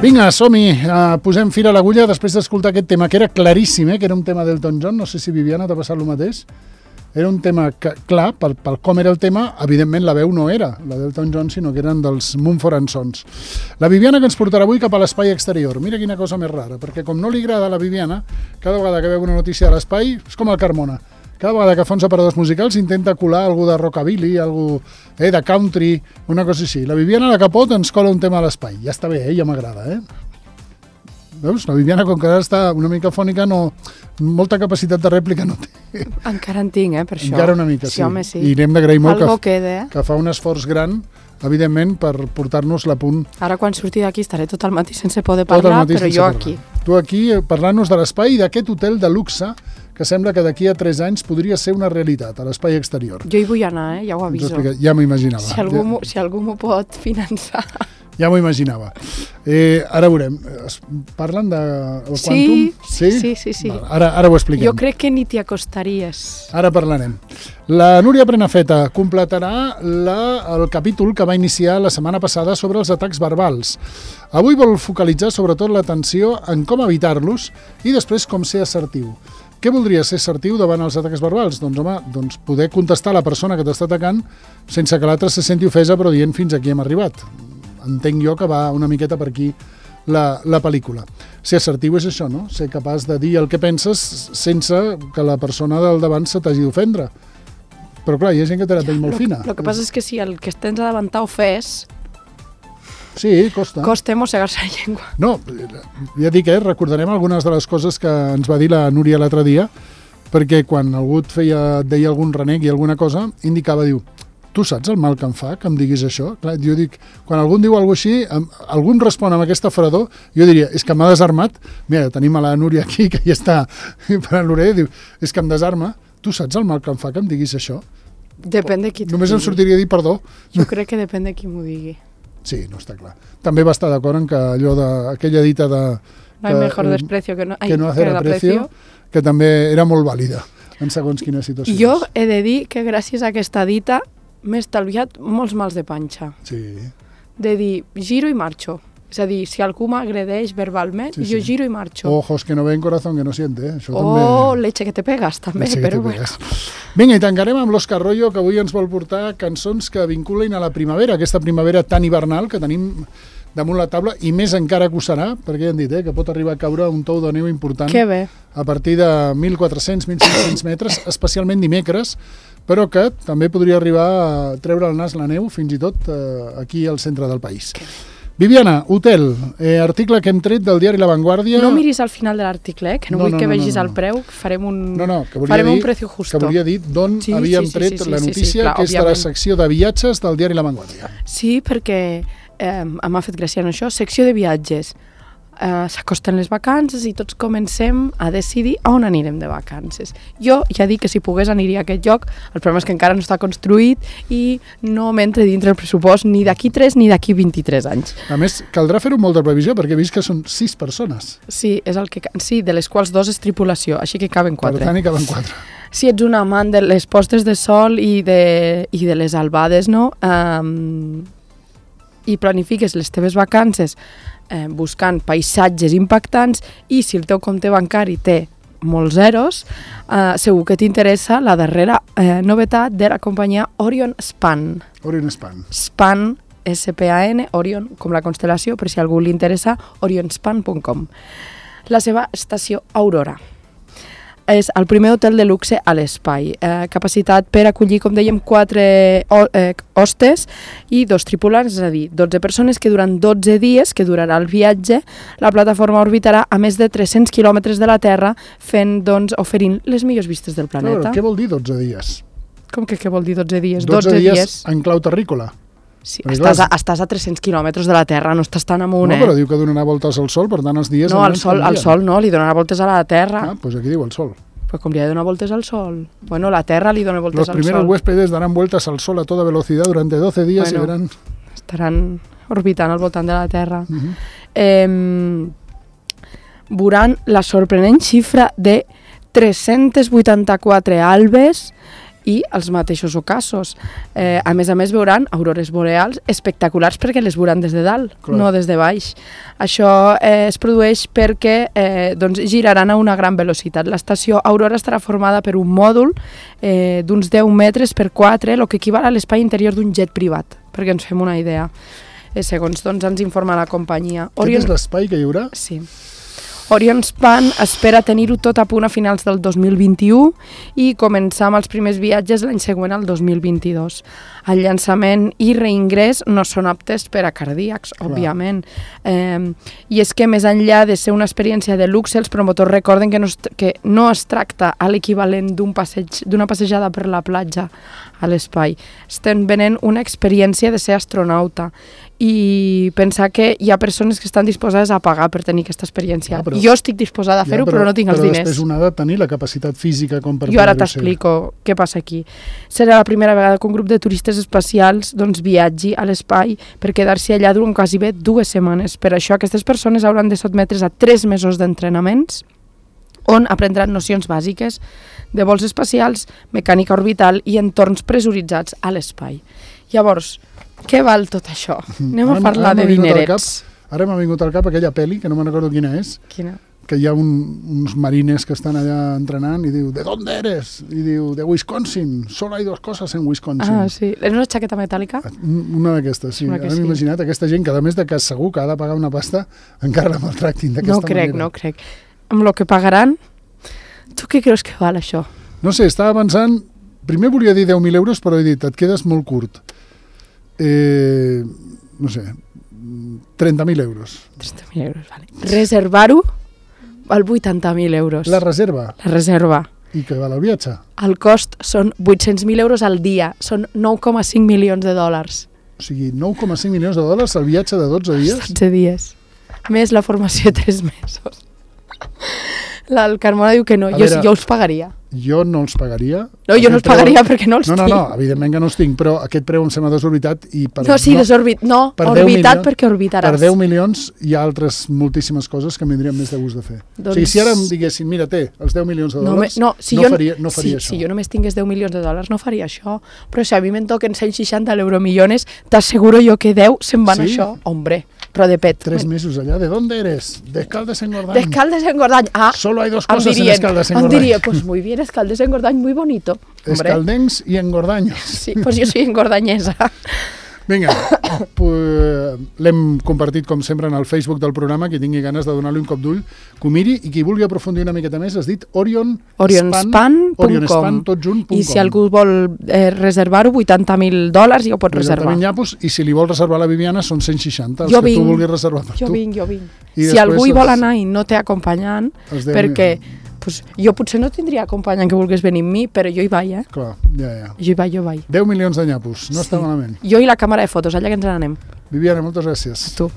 Vinga, som-hi, posem fil a l'agulla després d'escoltar aquest tema, que era claríssim, que era un tema d'Elton John, no sé si Viviana t'ha passat el mateix. Era un tema que, clar, pel com era el tema, evidentment la veu no era la d'Elton John, sinó que eren dels Mumford & Sons. La Viviana que ens portarà avui cap a l'espai exterior. Mira quina cosa més rara, perquè com no li agrada a la Viviana, cada vegada que veu una notícia de l'espai, és com el Carmona. Cada vegada que fa uns aparadors musicals intenta colar algú de rockabilly, algú de country, una cosa així. La Viviana a la capot ens cola un tema a l'espai. Ja està bé, ja m'agrada, Veus? La Viviana, com que ara està una mica fònica, molta capacitat de rèplica no té. Encara en tinc, per això. Encara una mica, sí. Home, sí. I n'hem d'agrair molt que fa un esforç gran, evidentment, per portar-nos-la a punt. Ara, quan surti d'aquí, estaré tot el matí sense poder parlar, però jo aquí. Tu aquí, parlant-nos de l'espai i d'aquest hotel de luxe, que sembla que d'aquí a 3 anys podria ser una realitat, a l'espai exterior. Jo hi vull anar, ja ho aviso. Ja m'ho imaginava. Si algú m'ho pot finançar. Ja m'ho imaginava. Ara veurem. Parlen del Quantum? Sí. Ara ho expliquem. Jo crec que ni t'hi acostaries. Ara parlarem. La Núria Prenafeta completarà el capítol que va iniciar la setmana passada sobre els atacs verbals. Avui vol focalitzar sobretot l'atenció en com evitar-los i després com ser assertiu. Què voldria ser assertiu davant els atacs verbals? Doncs, home, poder contestar a la persona que t'està atacant sense que l'altre se senti ofesa, però dient fins aquí hem arribat. Entenc jo que va una miqueta per aquí la pel·lícula. Ser assertiu és això, no? Ser capaç de dir el que penses sense que la persona del davant se t'hagi d'ofendre. Però clar, hi ha gent que té la pell molt fina. El que passa és que si el que tens a davant t'ha ofès... Sí, costa. Costa mossegar-se la llengua. No, ja dic, recordarem algunes de les coses que ens va dir la Núria l'altre dia, perquè quan algú et deia algun renec i alguna cosa, indicava, diu, tu saps el mal que em fa que em diguis això? Clar, jo dic, quan algú em diu alguna cosa així, algú em respon amb aquesta fredor, jo diria, és que m'ha desarmat. Mira, tenim a la Núria aquí, que ja està per l'orella, diu, és que em desarma. Tu saps el mal que em fa que em diguis això? Depèn de qui t'ho digui. Només em sortiria a dir perdó. Jo crec que depèn de qui m'ho digui. Sí, no està clar. També va estar d'acord en que allò aquella dita de... No hay mejor desprecio que no hacer aprecio, que també era molt vàlida en segons quines situacions. Jo he de dir que gràcies a aquesta dita m'he estalviat molts mals de panxa. Sí. De dir, giro i marxo. És a dir, si algú m'agredeix verbalment, jo giro i marxo. Ojos que no ven, corazón que no siente. Això leche que te pegas, també, però bueno. Vinga, i tancarem amb l'Òscar Royo, que avui ens vol portar cançons que vinculen a la primavera, aquesta primavera tan hivernal que tenim damunt la taula, i més encara que ho serà, perquè ja han dit que pot arribar a caure un tou de neu important a partir de 1.400-1.500 metres, especialment dimecres, però que també podria arribar a treure el nas la neu fins i tot aquí al centre del país. Viviana, hotel, article que hem tret del diari La Vanguardia. No miris al final de l'article, que no vull que vegis el preu, farem un precio justo. Que volia dir d'on havíem tret la notícia, que és de la secció de viatges del diari La Vanguardia. Sí, perquè m'ha fet gràcia en això, secció de viatges. S'acosten les vacances i tots comencem a decidir on anirem de vacances. Jo ja dic que si pogués aniria a aquest lloc, el problema és que encara no està construït i no m'entra dintre el pressupost ni d'aquí 3 ni d'aquí 23 anys. A més, caldrà fer-ho amb molta previsió perquè he vist que són 6 persones. Sí, de les quals 2 és tripulació, així que caben 4. Per tant, hi caben 4. Si ets un amant de les postes de sol i de les albades, no? I planifiques les teves vacances buscant paisatges impactants i si el teu compte bancari té molts zeros, segur que t'interessa la darrera novetat de la companyia Orion Span. Orion Span. Span, S-P-A-N, Orion, com la constel·lació, per si a algú li interessa, orionspan.com. La seva estació Aurora. És el primer hotel de luxe a l'espai. Capacitat per acollir, com dèiem, 4 hostes i 2 tripulants, és a dir, 12 persones que durant 12 dies, que durarà el viatge, la plataforma orbitarà a més de 300 quilòmetres de la Terra, oferint les millors vistes del planeta. Però què vol dir 12 dies? Com que què vol dir 12 dies? 12 dies en clau terrícola. Sí, estàs a 300 quilòmetres de la Terra, no estàs tan amunt, No, però diu que donarà voltes al Sol, per tant els dies... No, al Sol no, li donarà voltes a la Terra. Ah, doncs aquí diu el Sol. Pues com li ha de donar voltes al Sol. Bueno, la Terra li dona voltes al Sol. Los primeros huéspedes darán vueltas al Sol a toda velocidad durante 12 días y verán... Estaran orbitant al voltant de la Terra. Veuran la sorprenent xifra de 384 albes i els mateixos ocasos. A més, veuran aurores boreals espectaculars perquè les veuran des de dalt, no des de baix. Això es produeix perquè giraran a una gran velocitat. L'estació Aurora estarà formada per un mòdul d'uns 10 metres per 4, el que equival a l'espai interior d'un jet privat, perquè ens fem una idea. Segons ens informa la companyia. Aquest és l'espai que hi haurà? Sí. Orion Span espera tenir-ho tot a punt a finals del 2021 i començar amb els primers viatges l'any següent, al 2022. El llançament i reingrés no són aptes per a cardíacs, òbviament. I és que més enllà de ser una experiència de luxe, els promotors recorden que no es tracta a l'equivalent d'una passejada per la platja a l'espai. Estem venent una experiència de ser astronauta i pensar que hi ha persones que estan disposades a pagar per tenir aquesta experiència. Jo estic disposada a fer-ho, però no tinc els diners. Però després un ha de tenir la capacitat física com per poder-ho ser. Jo ara t'explico què passa aquí. Serà la primera vegada que un grup de turistes espacials viatgi a l'espai per quedar-s'hi allà durant quasi 2 setmanes. Per això aquestes persones hauran de sotmetre's a 3 mesos d'entrenaments on aprendran nocions bàsiques de vols espacials, mecànica orbital i entorns pressuritzats a l'espai. Llavors, què val tot això? Anem a parlar de dinerets. Ara m'ha vingut al cap aquella pel·li, que no me'n recordo quina és. Quina? Que hi ha uns marines que estan allà entrenant i diu, ¿de dónde eres? I diu, de Wisconsin. Solo hay 2 cosas en Wisconsin. Ah, sí. És una xaqueta metàl·lica? Una d'aquestes, sí. Ara m'he imaginat aquesta gent que, a més de que segur que ha de pagar una pasta, encara la maltractin d'aquesta manera. No crec. Amb el que pagaran, tu què creus que val això? No sé, estava pensant... Primer volia dir 10.000 euros, però he dit, et quedes molt curt. No sé, 30.000 euros. 30.000 euros, vale. Reservar-ho val 80.000 euros. La reserva? La reserva. I què val el viatge? El cost són 800.000 euros al dia, són 9,5 milions de dòlars. O sigui, 9,5 milions de dòlars el viatge de 12 dies? 12 dies. Més la formació de 3 mesos. El Carmona diu que no, jo els pagaria. Jo no els pagaria. No, jo no els pagaria perquè no els tinc. No, evidentment que no els tinc, però aquest preu em sembla desorbitat. Orbitat perquè orbitaràs. Per 10 milions hi ha altres moltíssimes coses que m'indrien més de gust de fer. O sigui, si ara em diguessin, mira, els 10 milions de dòlars, no faria això. Si jo només tingués 10 milions de dòlars no faria això, però si a mi me'n toquen 160 euromillones, t'asseguro jo que 10 se'n van a això. Hombre, però de pet. 3 mesos allà, ¿de dónde eres? De Escaldes-Engordany. De Escaldes-Engordany. Solo hay 2 cosas en Escaldes-Engordany. Em diria, pues muy bien, Escaldes-Engordany, muy bonito. Escaldencs i engordaños. Sí, pues jo soy engordanyesa. Vinga, l'hem compartit com sempre en el Facebook del programa, qui tingui ganes de donar-li un cop d'ull, que ho miri, i qui vulgui aprofundir una miqueta més, has dit orionspan.com, tot junt.com. I si algú vol reservar-ho, $80.000 ja ho pot reservar. 80.000 llapos, i si li vol reservar la Viviana són 160, els que tu vulguis reservar per tu. Jo vinc. Si algú hi vol anar i no té acompanyant, perquè... jo potser no tindria acompanyant que volgués venir amb mi, però jo hi vaig, Clar, ja. Jo hi vaig. 10 milions de nyapos, no està malament. Jo i la càmera de fotos, allà que ens n'anem. Viviana, moltes gràcies. A tu.